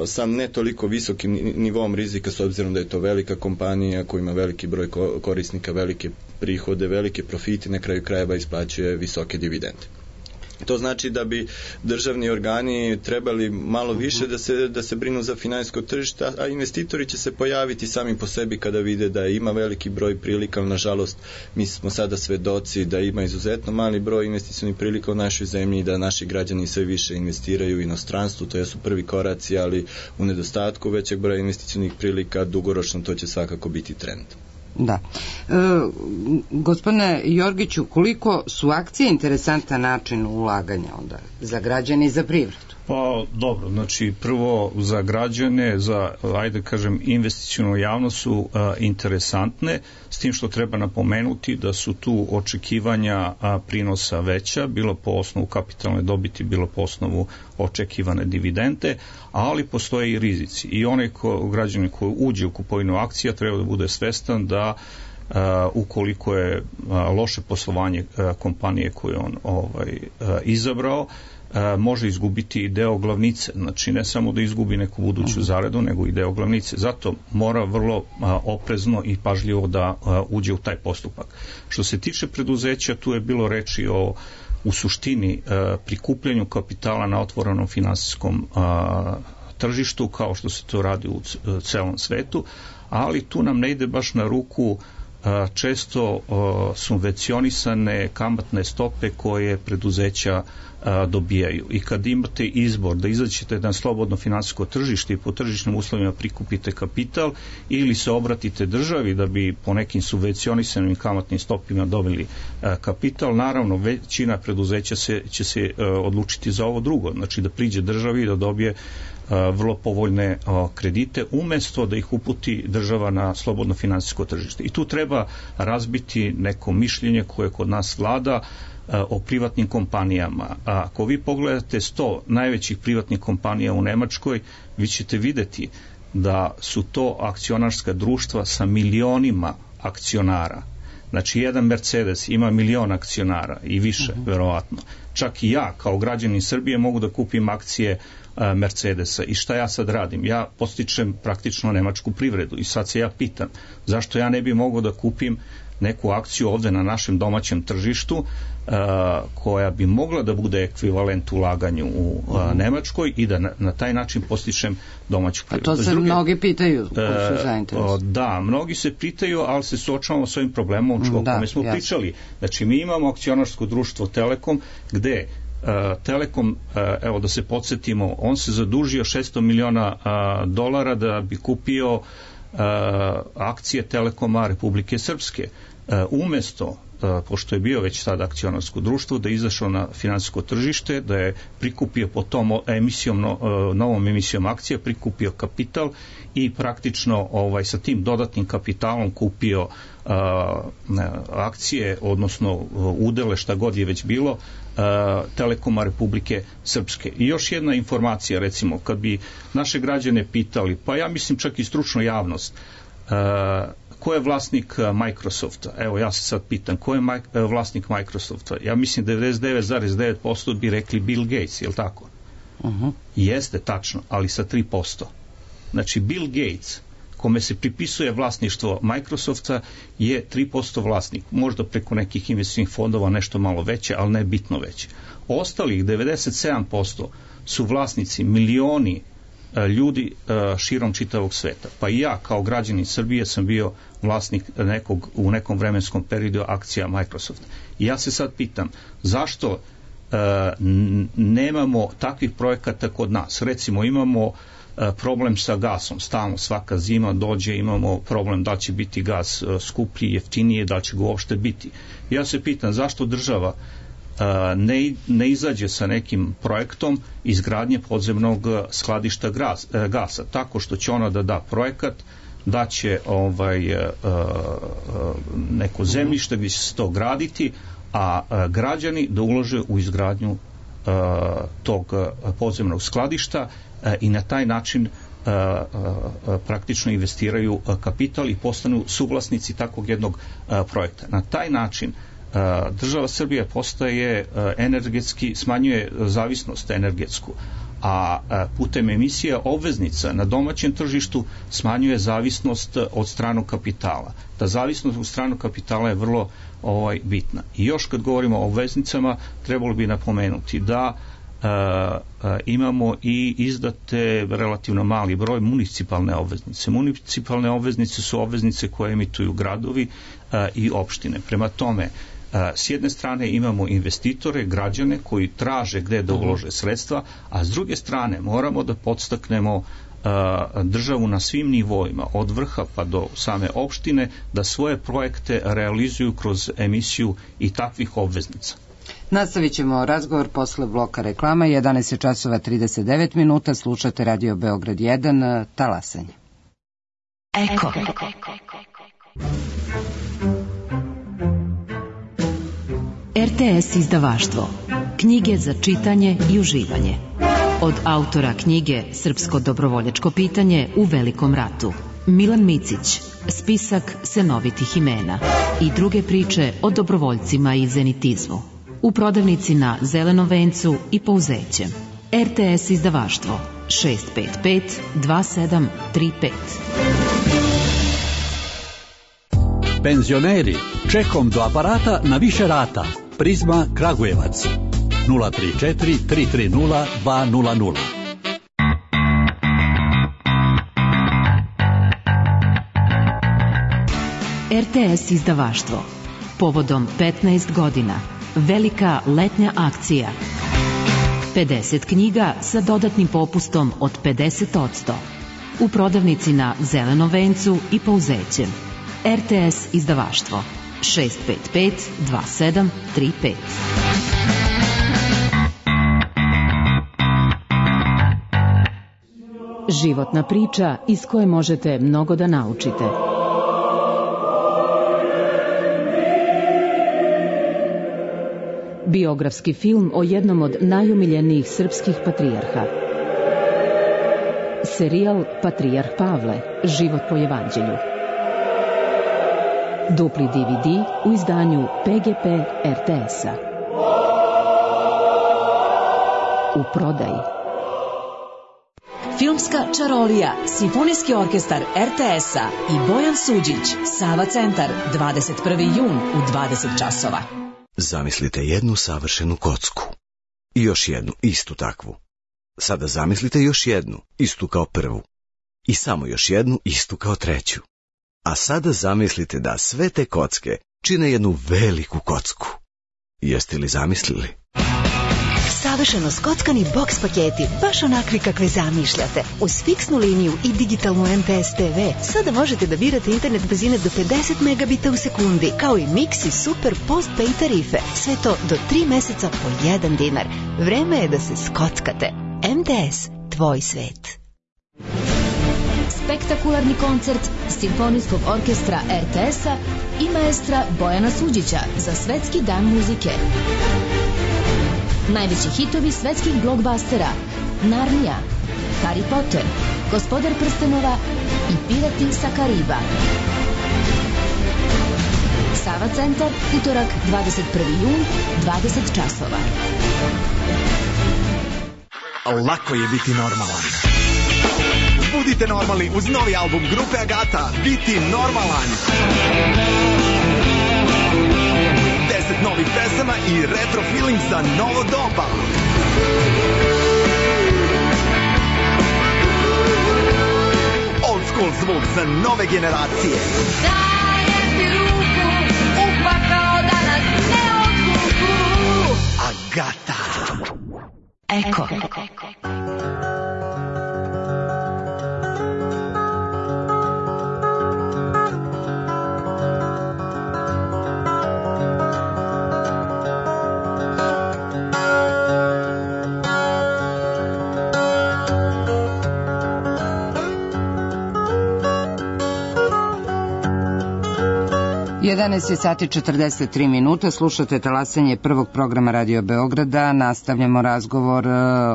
sa ne toliko visokim nivom rizika, s obzirom da je to velika kompanija koja ima veliki broj korisnika, velike prihode, velike profite, na kraju krajeva isplaćuje visoke dividende. To znači da bi državni organi trebali malo više da se, da se brinu za finansijsko tržište, a investitori će se pojaviti sami po sebi kada vide da ima veliki broj prilika. Nažalost, mi smo sada svedoci da ima izuzetno mali broj investicionih prilika u našoj zemlji i da naši građani sve više investiraju u inostranstvu, to su prvi koraci, ali u nedostatku većeg broja investicionih prilika dugoročno to će svakako biti trend. Da. E, gospodine Jorgiću, koliko su akcije interesantan način ulaganja onda za građane i za privredu? Pa dobro, znači prvo za građane, za, ajde kažem, investicionu javnost su uh, interesantne, s tim što treba napomenuti da su tu očekivanja uh, prinosa veća, bilo po osnovu kapitalne dobiti, bilo po osnovu očekivane dividende, ali postoje i rizici. I onaj ko, građanin koji uđe u kupovinu akcija treba da bude svestan da Uh, ukoliko je uh, loše poslovanje uh, kompanije koju on ovaj, uh, izabrao, uh, može izgubiti deo glavnice, znači ne samo da izgubi neku buduću zaradu, nego i deo glavnice. Zato mora vrlo uh, oprezno i pažljivo da uh, uđe u taj postupak. Što se tiče preduzeća, tu je bilo reči o u suštini prikupljanju kapitala na otvorenom finansijskom tržištu, kao što se to radi u celom svetu, ali tu nam ne ide baš na ruku često subvencionisane kamatne stope koje preduzeća dobijaju. I kad imate izbor da izađete na slobodno finansijsko tržište i po tržišnim uslovima prikupite kapital ili se obratite državi da bi po nekim subvencionisanim kamatnim stopima dobili kapital, naravno većina preduzeća se, će se odlučiti za ovo drugo, znači da priđe državi i da dobije vrlo povoljne kredite umesto da ih uputi država na slobodno finansijsko tržište. I tu treba razbiti neko mišljenje koje kod nas vlada o privatnim kompanijama. A ako vi pogledate sto najvećih privatnih kompanija u Nemačkoj, vi ćete videti da su to akcionarska društva sa milionima akcionara. Znači, jedan Mercedes ima milion akcionara i više, uh-huh. verovatno. Čak i ja, kao građanin Srbije, mogu da kupim akcije a, Mercedesa. I šta ja sad radim? Ja postičem praktično nemačku privredu. I sad se ja pitam, zašto ja ne bi mogao da kupim neku akciju ovde na našem domaćem tržištu a, koja bi mogla da bude ekvivalent ulaganju u a, Nemačkoj i da na, na taj način postičem domaću privredu. A to se druge, mnogi pitaju, koji su zainteresovani. Da, mnogi se pitaju, ali se suočavamo s ovim problemom o kome da, smo jasno. pričali. Znači, mi imamo akcionarsko društvo Telekom, gde uh, Telekom, uh, evo da se podsjetimo, on se zadužio šesto miliona uh, dolara da bi kupio uh, akcije Telekoma Republike Srpske. Uh, umesto pošto je bio već sad akcionarsko društvo, da je izašao na finansijsko tržište, da je prikupio po tom emisijom, novom emisijom akcija, prikupio kapital i praktično ovaj, sa tim dodatnim kapitalom kupio a, akcije, odnosno udele, šta god je već bilo, a, Telekoma Republike Srpske. I još jedna informacija, recimo, kad bi naše građane pitali, pa ja mislim čak i stručnu javnost, a, ko je vlasnik Microsofta? Evo, ja se sad pitam, ko je maj, vlasnik Microsofta? Ja mislim devedeset devet zarez devet posto bi rekli Bill Gates, je li tako? Uh-huh. Jeste, tačno, ali sa tri posto. Znači, Bill Gates, kome se pripisuje vlasništvo Microsofta, je tri posto vlasnik. Možda preko nekih investicionih fondova nešto malo veće, ali ne bitno veće. Ostalih devedeset sedam posto su vlasnici milioni ljudi širom čitavog sveta. Pa i ja kao građanin Srbije sam bio vlasnik nekog, u nekom vremenskom periodu akcija Microsofta. I ja se sad pitam, zašto uh, nemamo takvih projekata kod nas? Recimo, imamo uh, problem sa gasom, stalno svaka zima dođe, imamo problem da će biti gas uh, skuplji, jeftinije, da će ga uopšte biti. Ja se pitam, zašto država Ne, ne izađe sa nekim projektom izgradnje podzemnog skladišta gras, gasa, tako što će ona da da projekat, da će ovaj, neko zemljište gdje će se to graditi, a građani da ulože u izgradnju tog podzemnog skladišta i na taj način praktično investiraju kapital i postanu suvlasnici takvog jednog projekta. Na taj način država Srbija postaje energetski, smanjuje zavisnost energetsku, a putem emisija obveznica na domaćem tržištu smanjuje zavisnost od stranog kapitala. Ta zavisnost od stranog kapitala je vrlo ovaj, bitna. I još kad govorimo o obveznicama, trebalo bi napomenuti da a, a, imamo i izdate relativno mali broj municipalne obveznice. Municipalne obveznice su obveznice koje emituju gradovi a, i opštine. Prema tome, s jedne strane imamo investitore, građane koji traže gde da ulože sredstva, a s druge strane moramo da podstaknemo državu na svim nivoima, od vrha pa do same opštine, da svoje projekte realizuju kroz emisiju i takvih obveznica. Nastavit ćemo razgovor posle bloka reklama. jedanaest časova trideset devet minuta, slušate Radio Beograd jedan, talasanje. Eko. R T S izdavaštvo. Knjige za čitanje i uživanje. Od autora knjige Srpsko dobrovoljačko pitanje u Velikom ratu, Milan Micić, spisak senovitih imena i druge priče o dobrovoljcima i zenitizmu. U prodavnici na Zelenom vencu i Pouzeće. R T S izdavaštvo šest pet pet dva sedam tri pet. Penzioneri, čekom do aparata na više rata. Prizma Kragujevac nula tri četiri tri tri nula dva nula nula. R T S izdavaštvo. Povodom petnaest godina. Velika letnja akcija. pedeset knjiga sa dodatnim popustom od pedeset posto. U prodavnici na Zelenom vencu i Pouzećem. R T S izdavaštvo. šest pet pet dva sedam tri pet. Životna priča iz koje možete mnogo da naučite. Biografski film o jednom od najumiljenijih srpskih patrijarha. Serijal Patrijarh Pavle, život po evanđelju. Dupli D V D u izdanju P G P R T S-a. U prodaji. Filmska čarolija, Simfonijski orkestar R T S-a i Bojan Suđić, Sava centar, dvadeset prvi jun u dvadeset časova. Zamislite jednu savršenu kocku i još jednu istu takvu. Sada zamislite još jednu istu kao prvu i samo još jednu istu kao treću. A sada zamislite da sve te kocke čine jednu veliku kocku. Jeste li zamislili? Savršeno skockani boks paketi, baš onakvi kakve zamišljate. Uz fiksnu liniju i digitalnu M P S T V sada možete da birate internet brzine do pedeset megabita u sekundi, kao i Mix i Super Postpay tarife. Sve to do tri meseca po jedan dinar. Vreme je da se skockate. M T S, tvoj svet. Spektakularni koncert Simfonijskog orkestra R T S-a i maestra Bojana Suđića za Svetski dan muzike. Najveći hitovi svetskih blockbustera: Narnija, Harry Potter, Gospodar prstenova i Pirati sa Kariba. Sava centar, utorak dvadeset prvi jun, dvadeset časova. Lako je biti normalan. Budite normalni uz novi album grupe Agata, Biti normalan. deset novih pesama i retro feeling za novo doba. Old school zvuk za nove generacije. Dajem ti ruku, upakao da nas ne odvuku. Agata. Eko. jedanaest je sati četrdeset tri minuta, slušate talasanje prvog programa Radio Beograda, nastavljamo razgovor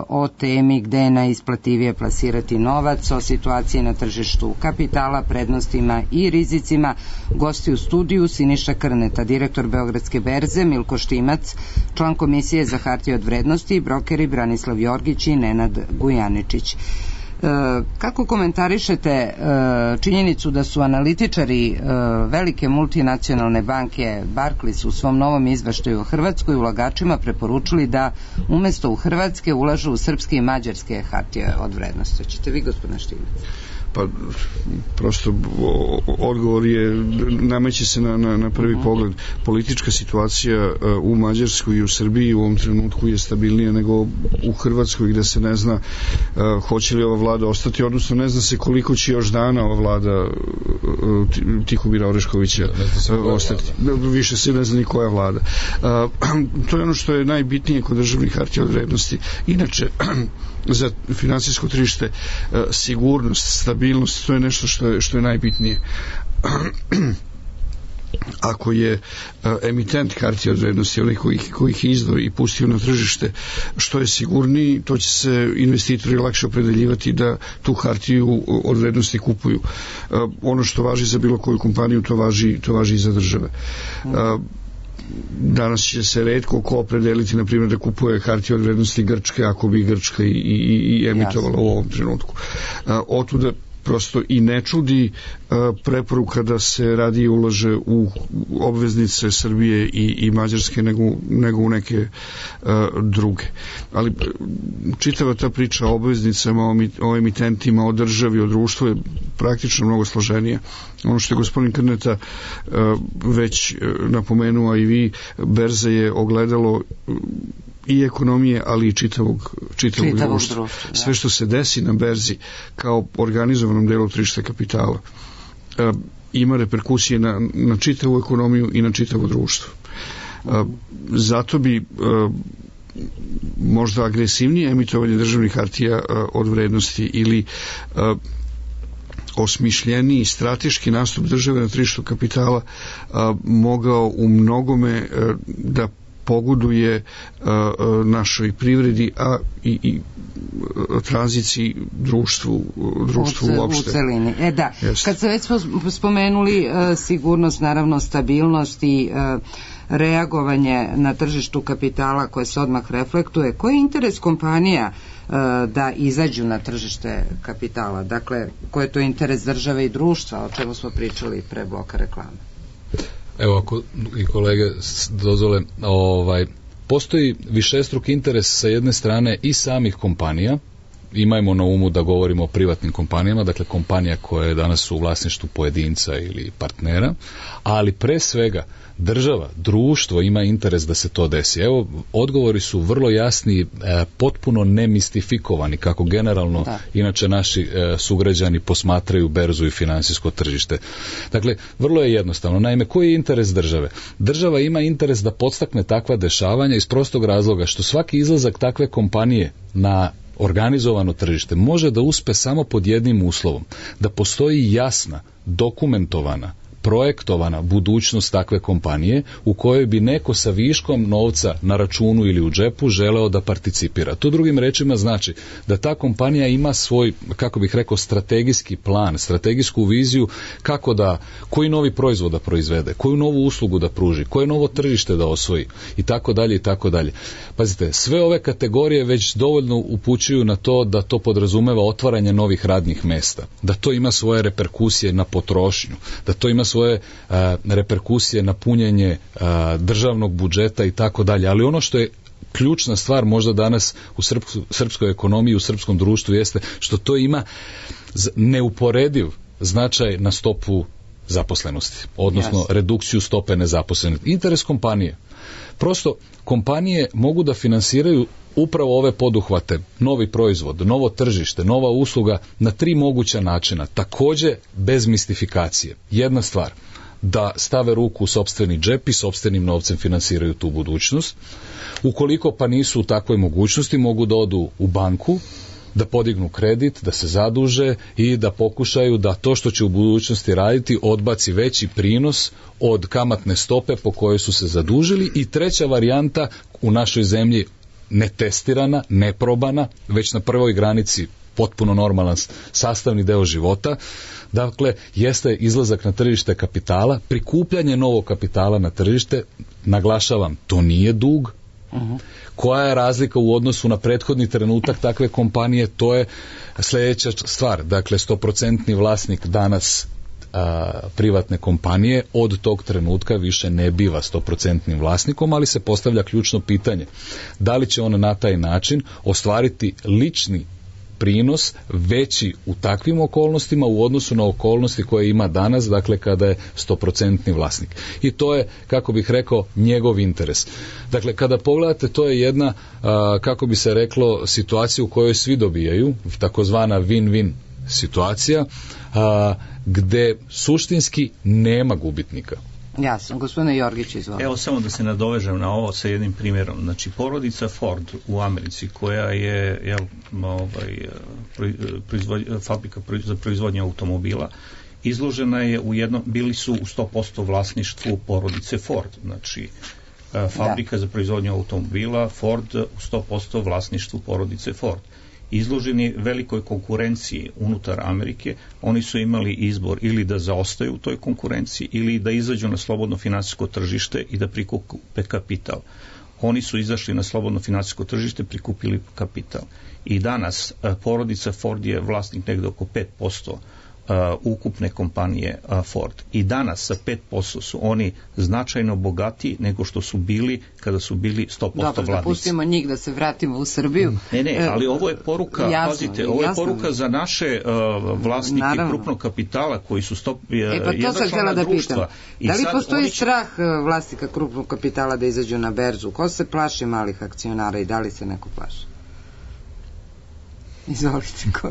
o temi gde je najisplativije plasirati novac, o situaciji na tržištu kapitala, prednostima i rizicima. Gosti u studiju Siniša Krneta, direktor Beogradske berze, Milko Štimac, član Komisije za hartije od vrednosti i brokeri Branislav Jorgić i Nenad Gujaničić. Kako komentarišete činjenicu da su analitičari velike multinacionalne banke Barclays u svom novom izveštaju o Hrvatskoj ulagačima preporučili da umesto u Hrvatske ulažu u srpske i mađarske hartije od vrednosti? Hoćete vi, gospodine Štimac? Pa prosto odgovor je, nameće se na, na, na prvi uh-huh. pogled. Politička situacija uh, u Mađarskoj i u Srbiji u ovom trenutku je stabilnija nego u Hrvatskoj, gde se ne zna uh, hoće li ova vlada ostati, odnosno ne zna se koliko će još dana ova vlada uh, Tihomira Oreškovića uh, ostati. Vlada. Više se ne zna ni koja vlada. Uh, to je ono što je najbitnije kod državnih hartija od vrednosti. Inače, za finansijsko tržište sigurnost, stabilnost, to je nešto što je, što je najbitnije. Ako je emitent hartija od vrednosti, onaj koji, koji ih izdao i pustio na tržište, što je sigurniji, to će se investitori lakše opredeljivati da tu hartiju od vrednosti kupuju. Ono što važi za bilo koju kompaniju, to važi, to važi i za države. Danas će se retko ko opredeliti, na primjer, da kupuje hartije od vrednosti Grčke, ako bi Grčka i, i, i emitovala u ovom trenutku. Otuda prosto i ne čudi preporuka da se radije ulaže u obveznice Srbije i, i Mađarske nego, nego u neke druge. Ali čitava ta priča o obveznicama, o emitentima, o državi, o društvu je praktično mnogo složenija. Ono što je gospodin Krneta već napomenuo, i vi, berza je ogledalo i ekonomije, ali i čitavog, čitavog, čitavog društva. društva Sve što se desi na berzi kao organizovanom delu tržišta kapitala e, ima reperkusije na, na čitavu ekonomiju i na čitavo društvo. E, zato bi e, možda agresivnije emitovanje državnih hartija e, od vrednosti ili e, osmišljeniji strateški nastup države na tržištu kapitala a, mogao u mnogome a, da pogoduje a, a, našoj privredi, a i, i tranziciji društvu, društvu u, uopšte. U celini. E da, Jeste. Kad se već spomenuli a, sigurnost, naravno stabilnost i a, reagovanje na tržištu kapitala koje se odmah reflektuje, koji je interes kompanija da izađu na tržište kapitala? Dakle, koji je to interes države i društva, o čemu smo pričali pre bloka reklame? Evo, ako i kolege dozvole, ovaj, postoji višestruk interes sa jedne strane i samih kompanija. Imajmo na umu da govorimo o privatnim kompanijama, dakle kompanija koja je danas u vlasništvu pojedinca ili partnera, ali pre svega država, društvo ima interes da se to desi. Evo, odgovori su vrlo jasni, e, potpuno nemistifikovani, kako generalno da. Inače naši e, sugrađani posmatraju berzu i finansijsko tržište. Dakle, vrlo je jednostavno. Naime, koji je interes države? Država ima interes da podstakne takva dešavanja iz prostog razloga što svaki izlazak takve kompanije na organizovano tržište može da uspe samo pod jednim uslovom, da postoji jasna, dokumentovana, projektovana budućnost takve kompanije u kojoj bi neko sa viškom novca na računu ili u džepu želeo da participira. To drugim rečima znači da ta kompanija ima svoj, kako bih rekao, strategijski plan, strategijsku viziju kako da, koji novi proizvod da proizvede, koju novu uslugu da pruži, koje novo tržište da osvoji i tako dalje i tako dalje. Pazite, sve ove kategorije već dovoljno upućuju na to da to podrazumeva otvaranje novih radnih mesta, da to ima svoje reperkusije na potrošnju, da to ima svoje a, reperkusije na punjenje a, državnog budžeta i tako dalje. Ali ono što je ključna stvar možda danas u srpskoj, srpskoj ekonomiji, u srpskom društvu jeste što to ima neuporediv značaj na stopu zaposlenosti, odnosno yes. redukciju stope nezaposlenosti. Interes kompanije. Prosto kompanije mogu da finansiraju upravo ove poduhvate, novi proizvod, novo tržište, nova usluga na tri moguća načina, takođe bez mistifikacije. Jedna stvar, da stave ruku u sopstveni džep i sopstvenim novcem finansiraju tu budućnost. Ukoliko pa nisu u takvoj mogućnosti, mogu da odu u banku, da podignu kredit, da se zaduže i da pokušaju da to što će u budućnosti raditi odbaci veći prinos od kamatne stope po kojoj su se zadužili. I treća varijanta, u našoj zemlji netestirana, neprobana, već na prvoj granici potpuno normalan sastavni deo života, dakle, jeste izlazak na tržište kapitala, prikupljanje novog kapitala na tržište, naglašavam, to nije dug. Uh-huh. Koja je razlika u odnosu na prethodni trenutak takve kompanije? To je sljedeća stvar. Dakle, stoprocentni vlasnik danas a, privatne kompanije od tog trenutka više ne biva stoprocentnim vlasnikom, ali se postavlja ključno pitanje. Da li će on na taj način ostvariti lični prinos veći u takvim okolnostima u odnosu na okolnosti koje ima danas, dakle kada je stoprocentni vlasnik. I to je, kako bih rekao, njegov interes. Dakle, kada pogledate, to je jedna, a, kako bi se reklo, situacija u kojoj svi dobijaju, takozvana win-win situacija, a, gde suštinski nema gubitnika. Jasno, gospodine Jorgić, izvolite. Evo samo da se nadovežem na ovo sa jednim primjerom. Znači, porodica Ford u Americi, koja je jel, ovaj, proizvod, fabrika za proizvodnje automobila, izložena je u jednom, bili su u sto posto vlasništvu porodice Ford. Znači, fabrika da. za proizvodnje automobila Ford u sto posto vlasništvu porodice Ford. Izloženi velikoj konkurenciji unutar Amerike, oni su imali izbor ili da zaostaju u toj konkurenciji ili da izađu na slobodno finansijsko tržište i da prikupe kapital. Oni su izašli na slobodno finansijsko tržište, prikupili kapital. I danas porodica Ford je vlasnik negde oko pet posto ukupne kompanije Ford. I danas sa pet posto su oni značajno bogatiji nego što su bili kada su bili sto posto vladnici. Dobro, da pustimo njih da se vratimo u Srbiju. Ne, ne, ali ovo je poruka, jasno, pazite, ovo je jasno. poruka za naše uh, vlasnike Naravno. krupnog kapitala koji su stop, e, pa to sam htjela da pitam. Da li postoji će... strah vlasnika krupnog kapitala da izađu na berzu? Ko se plaši malih akcionara i da li se neko plaši? Izvolite, ko...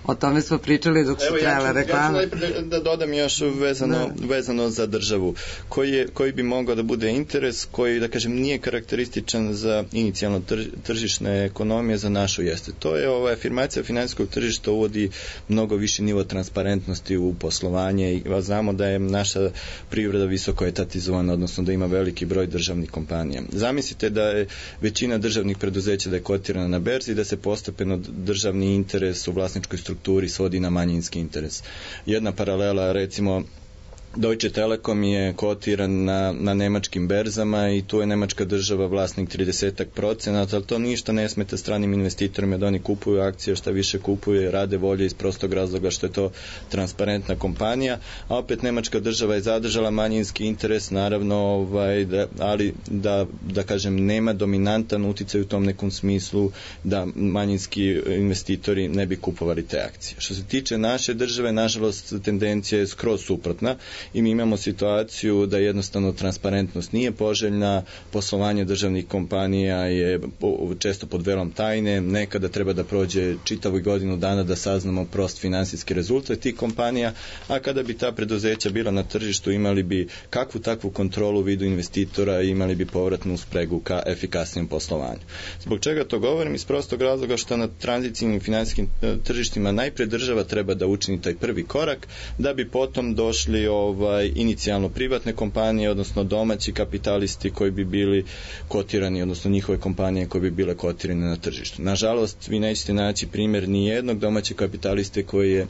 O tome smo pričali dok su trajale reklame. Ja ću da, da dodam još vezano, vezano za državu. Koji, je, koji bi mogao da bude interes koji, da kažem, nije karakterističan za inicijalno trž, tržišne ekonomije za našu jeste. To je ova afirmacija finansijskog tržišta uvodi mnogo viši nivo transparentnosti u poslovanje i znamo da je naša privreda visoko etatizovana, odnosno da ima veliki broj državnih kompanija. Zamislite da je većina državnih preduzeća da je kotirana na berzi i da se postepeno državni interes u vlasničkoj strukturi svodi na manjinski interes. Jedna paralela, recimo, Deutsche Telekom je kotiran na, na nemačkim berzama i tu je nemačka država vlasnik trideset procenata, ali to ništa ne smeta stranim investitorima da oni kupuju akcije, šta više kupuje, rade volje iz prostog razloga što je to transparentna kompanija, a opet nemačka država je zadržala manjinski interes, naravno, ovaj, da, ali da, da kažem, nema dominantan uticaj u tom nekom smislu da manjinski investitori ne bi kupovali te akcije. Što se tiče naše države, nažalost, tendencija je skroz suprotna i mi imamo situaciju da jednostavno transparentnost nije poželjna, poslovanje državnih kompanija je često pod velom tajne, nekada treba da prođe čitavu godinu dana da saznamo prost finansijski rezultat tih kompanija, a kada bi ta preduzeća bila na tržištu imali bi kakvu takvu kontrolu u vidu investitora i imali bi povratnu spregu ka efikasnijem poslovanju. Zbog čega to govorim? Iz prostog razloga što na tranzicijnim finansijskim tržištima najpre država treba da učini taj prvi korak, da bi potom došli ovaj, inicijalno privatne kompanije, odnosno domaći kapitalisti koji bi bili kotirani, odnosno njihove kompanije koje bi bile kotirane na tržištu. Nažalost, vi nećete naći primjer ni jednog domaćeg kapitaliste koji je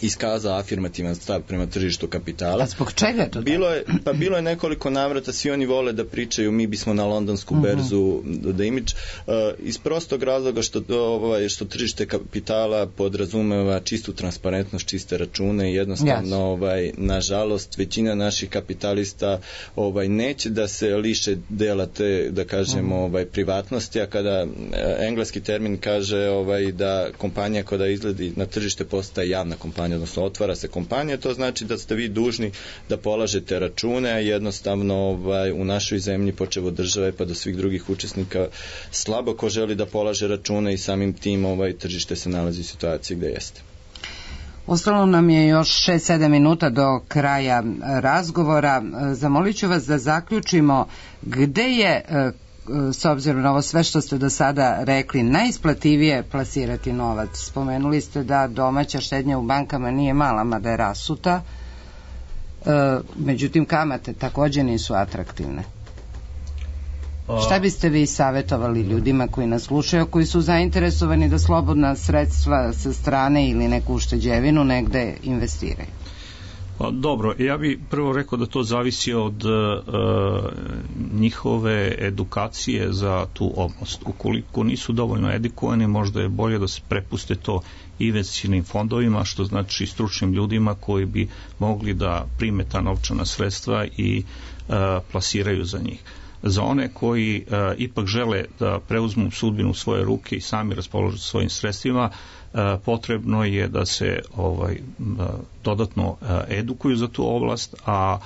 iskazao afirmativan stav prema tržištu kapitala. A zbog čega to? Bilo je, pa bilo je nekoliko navrata, svi oni vole da pričaju mi bismo na londonsku uh-huh. berzu da imidž, uh, iz prostog razloga što, ovaj, što tržište kapitala podrazumeva čistu transparentnost, čiste račune i jednostavno, yes. ovaj, nažalost, većina naših kapitalista ovaj, neće da se liše dela te, da kažemo, uh-huh. ovaj, privatnosti, a kada eh, engleski termin kaže ovaj, da kompanija koja izgledi na tržište postaje javna kompanija, odnosno otvara se kompanija, to znači da ste vi dužni da polažete račune, a jednostavno ovaj, u našoj zemlji, počev od države pa do svih drugih učesnika, slabo ko želi da polaže račune i samim tim ovaj, tržište se nalazi u situaciji gde jeste. Ostalo nam je još šest sedam minuta do kraja razgovora. Zamolit ću vas da zaključimo gde je, s obzirom na ovo sve što ste do sada rekli, najisplativije plasirati novac. Spomenuli ste da domaća štednja u bankama nije mala, mada je rasuta, e, međutim kamate također nisu atraktivne. Šta biste vi savjetovali ljudima koji nas slušaju, koji su zainteresovani da slobodna sredstva sa strane ili neku ušteđevinu negde investiraju? Dobro, ja bih prvo rekao da to zavisi od uh, njihove edukacije za tu oblast. Ukoliko nisu dovoljno edukovani, možda je bolje da se prepuste to investicionim fondovima, što znači stručnim ljudima koji bi mogli da prime ta novčana sredstva i uh, plasiraju za njih. Za one koji uh, ipak žele da preuzmu sudbinu u svoje ruke i sami raspoložu svojim sredstvima, uh, potrebno je da se ovaj, uh, dodatno uh, edukuju za tu oblast, a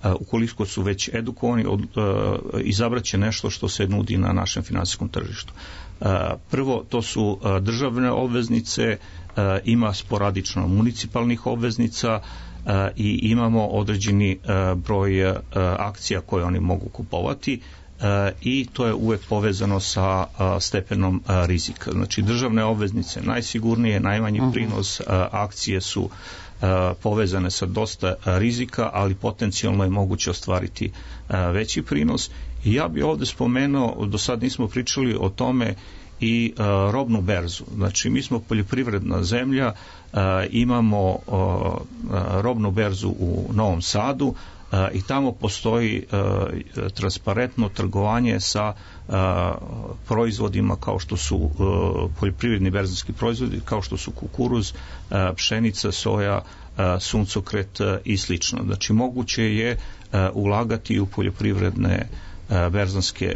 uh, ukoliko su već edukovani, od, uh, izabraće nešto što se nudi na našem finansijskom tržištu. Uh, prvo, to su uh, državne obveznice, uh, ima sporadično municipalnih obveznica, Uh, i imamo određeni uh, broj uh, akcija koje oni mogu kupovati uh, i to je uvek povezano sa uh, stepenom uh, rizika. Znači državne obveznice najsigurnije, najmanji uh-huh. prinos, uh, akcije su uh, povezane sa dosta uh, rizika, ali potencijalno je moguće ostvariti uh, veći prinos. I ja bih ovdje spomenuo, do sad nismo pričali o tome, i uh, robnu berzu. Znači mi smo poljoprivredna zemlja, uh, imamo uh, robnu berzu u Novom Sadu uh, i tamo postoji uh, transparentno trgovanje sa uh, proizvodima kao što su uh, poljoprivredni berzanski proizvodi, kao što su kukuruz, uh, pšenica, soja, suncokret i slično. Znači moguće je ulagati u poljoprivredne berzanske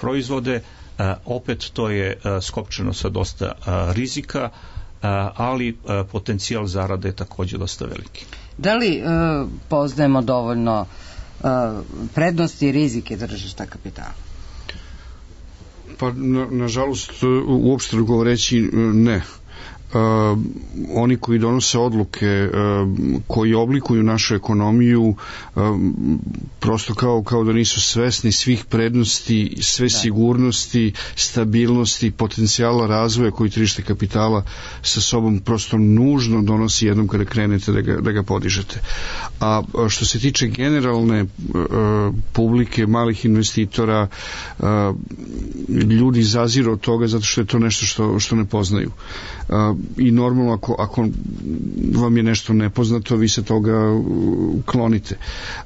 proizvode, opet to je skopčeno sa dosta rizika, ali potencijal zarade je također dosta veliki. Da li poznajemo dovoljno prednosti i rizike tržišta kapitala? Pa, na, nažalost, uopšte govoreći ne. Uh, oni koji donose odluke, uh, koji oblikuju našu ekonomiju, uh, prosto kao, kao da nisu svesni svih prednosti, sve da. sigurnosti, stabilnosti, potencijala razvoja koji tržište kapitala sa sobom prosto nužno donosi jednom kada krenete da ga, da ga podižete. A što se tiče generalne uh, publike, malih investitora, uh, ljudi zaziru od toga zato što je to nešto što, što ne poznaju. Uh, i normalno ako, ako vam je nešto nepoznato, vi se toga klonite.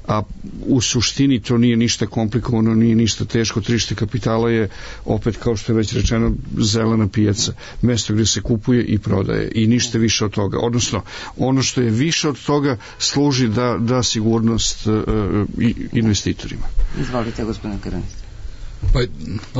A u suštini to nije ništa komplikovano, nije ništa teško. Tržište kapitala je, opet kao što je već rečeno, zelena pijaca, mesto gdje se kupuje i prodaje i ništa više od toga. Odnosno, ono što je više od toga služi da, da sigurnost uh, investitorima. Izvolite, gospodine Karanić. Pa,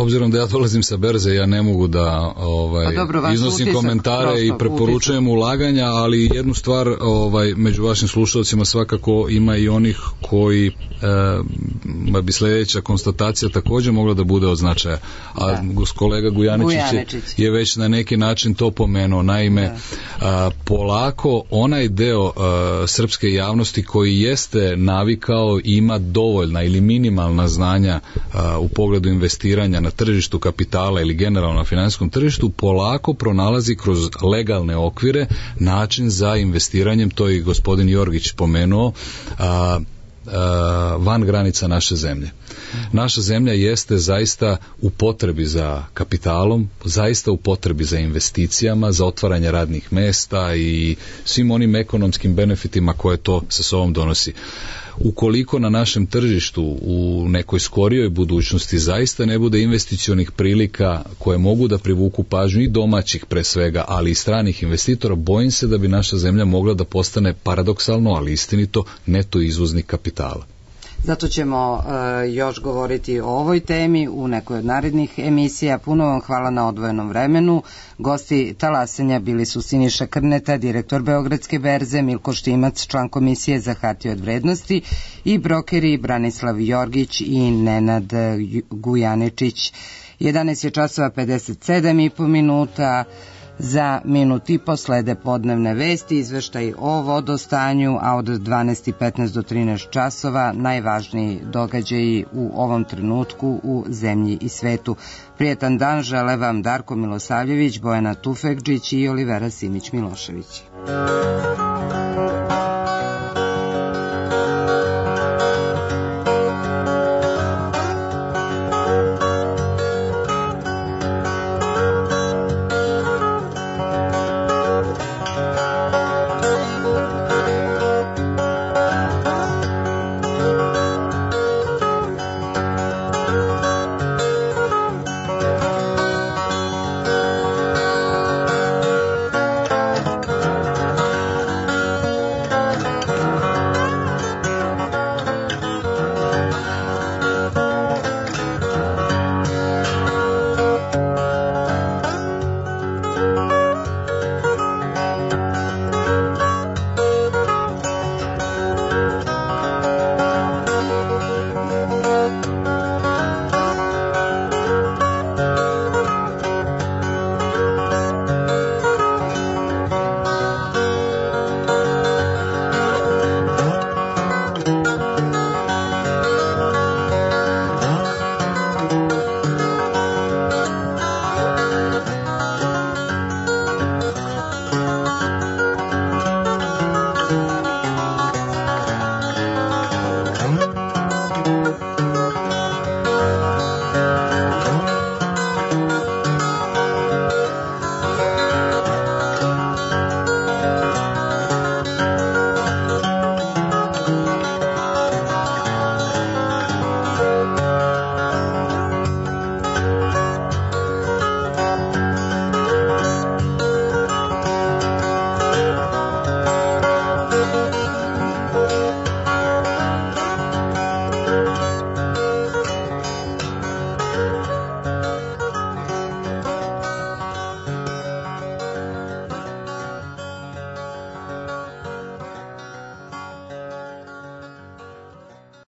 obzirom da ja dolazim sa berze, ja ne mogu da ovaj, dobro, iznosim utisak, komentare prosto, i preporučujem utisak. ulaganja, ali jednu stvar ovaj, među vašim slušalcima svakako ima i onih koji e, bi sljedeća konstatacija također mogla da bude od značaja. A da. kolega Gujaničić, Gujaničić je već na neki način to pomenuo. Naime, a, polako onaj deo a, srpske javnosti koji jeste navikao ima dovoljna ili minimalna znanja a, u pogledu investiranja na tržištu kapitala ili generalno na finansijskom tržištu, polako pronalazi kroz legalne okvire način za investiranjem, to je i gospodin Jorgić pomenuo, a, a, van granica naše zemlje. Naša zemlja jeste zaista u potrebi za kapitalom, zaista u potrebi za investicijama, za otvaranje radnih mesta i svim onim ekonomskim benefitima koje to sa sobom donosi. Ukoliko na našem tržištu u nekoj skorijoj budućnosti zaista ne bude investicionih prilika koje mogu da privuku pažnju i domaćih pre svega, ali i stranih investitora, bojim se da bi naša zemlja mogla da postane paradoksalno, ali istinito, neto izvoznik kapitala. Zato ćemo uh, još govoriti o ovoj temi u nekoj od narednih emisija. Puno vam hvala na odvojenom vremenu. Gosti talasanja bili su Siniša Krneta, direktor Beogradske berze, Milko Štimac, član Komisije za hartije od vrednosti i brokeri Branislav Jorgić i Nenad Gujaničić. jedanaest je časova pedeset sedam i po minuta. Za minut i po slede podnevne vesti, izveštaj o vodostanju, a od dvanaest i petnaest do trinaest časova najvažniji događaji u ovom trenutku u zemlji i svetu. Prijetan dan žele vam Darko Milosavljević, Bojana Tufekđić i Olivera Simić Milošević.